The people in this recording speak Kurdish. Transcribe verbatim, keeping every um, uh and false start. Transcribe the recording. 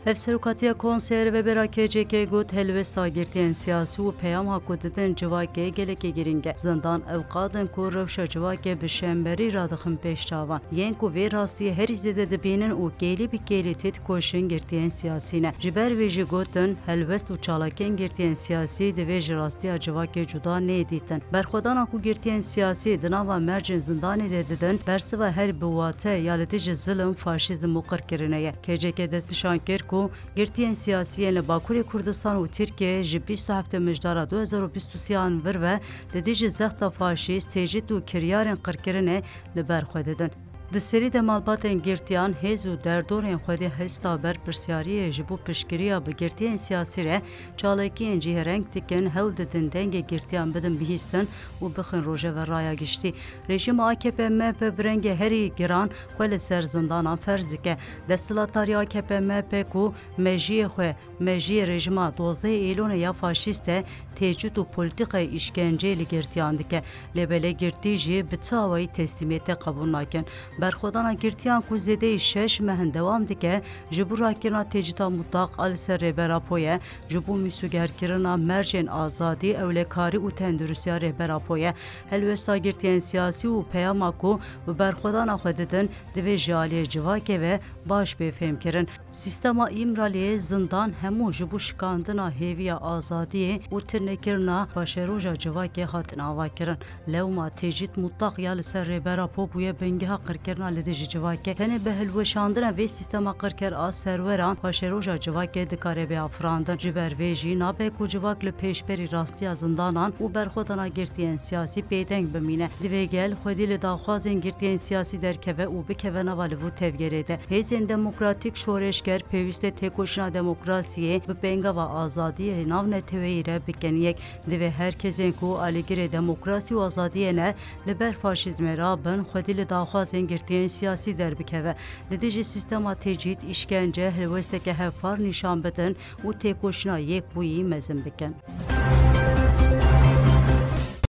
Hevserokatiya Konseyê Rêvebera K C K got, helwesta girtiyên siyasî û peyama ku didin civakê gelekî girîng e. Zindan ewqat in ku rewşa civakê bi şemberî radixin pêş çavan. Yên ku vê rastiyê herî zêde dibînin û kêlî bi kêlî têdikoşin girtiyên siyasî ne. Ji ber vê jî gotin, helwest û çalakiyên girtiyên siyasî divê ji rastiya civakê cuda neyê dîtin. Berxwedana ku girtiyên siyasî di nava mercên zindanê de didin, bersiva herî bi wate ya li dijî zilm, faşîzm û qirkirinê ye. K C K destnîşan kir ku girtiyên siyasî yên li Bakurê Kurdistan û Tirkiyeyê ji bîst û heftê Mijdara du hezar û bîst û sê an vir ve li dijî zexta faşîst, tecrîd û kiryarên qirkirinê li ber xwe didin. Di serî de malbatên girtiyan, hêz û derdorên xwedî hesta berpirsyariyê ji bo piştgiriya bi girtiyên siyasî re çalakiyên cihêreng dikin, hewl didin dengê girtiyan bidin bihîstin û bixin rojeva raya giştî. Rejîma A K P M H P bi rengê herî giran xwe li ser zindanan ferz dike. Desthilatdarî A K P M H P ku mejiyê xwe, mejiyê rejîma dozdeh Eylonê ya faşîst e, tecrîd û polîtîkayê îşkenceyê li girtiyan dike. Lê belê girtî jî bi çi awayî teslîmiyetê qebûl nakin. Berxwedana girtiyan ku zêdeyî şeş mehin dewam dike, ji bo rakirina tecrîda mutlaq a li ser Rêber Apo ye, ji bo mîsogerkirina mercên azadî, ewlekarî û tenduristiya Rêber Apo ye. Helwesta girtiyên siyasî û peyama ku bi berxwedana xwe didin, divê ji aliyê civakê ve baş bê fêhmkirin. Sîstema Îmraliyê, zindan hemû ji bo şikandina hêviya azadiyê û turnekirina paşeroja civakê hatin avakirin. Lewma tecrîd mutlaq ya li ser Rêber Apo bûye bingeha qirkirina li dijî civakê. Tenê bi hilweşandina vê sîstema qirker a serweran paşeroja civakê dikare bê afirandin. Ji ber vê jî nabe ku civak li pêşberî rastiya zindanan û berxwedana girtiyên siyasî bêdeng bimîne. Divê gel xwedî li daxwazên girtiyên siyasî derkeve û bikeve nava liv û tevgerê de. Hêzên demokratîk şoreşger pêwîst e têkoşîna demokrasiyê bi pêngava azadiyê navneteweyî re bikin yek. Divê her kesên ku alîgirê demokrasî û azadiyê ne, li ber faşîzmê rabin, xwedî li daxwazên girtiyên siyasî derbikeve. Li dijî sîstema tecrîd, îşkence, helwesteke hevpar nîşan bidin û têkoşîna yekbûyî mezin bikin.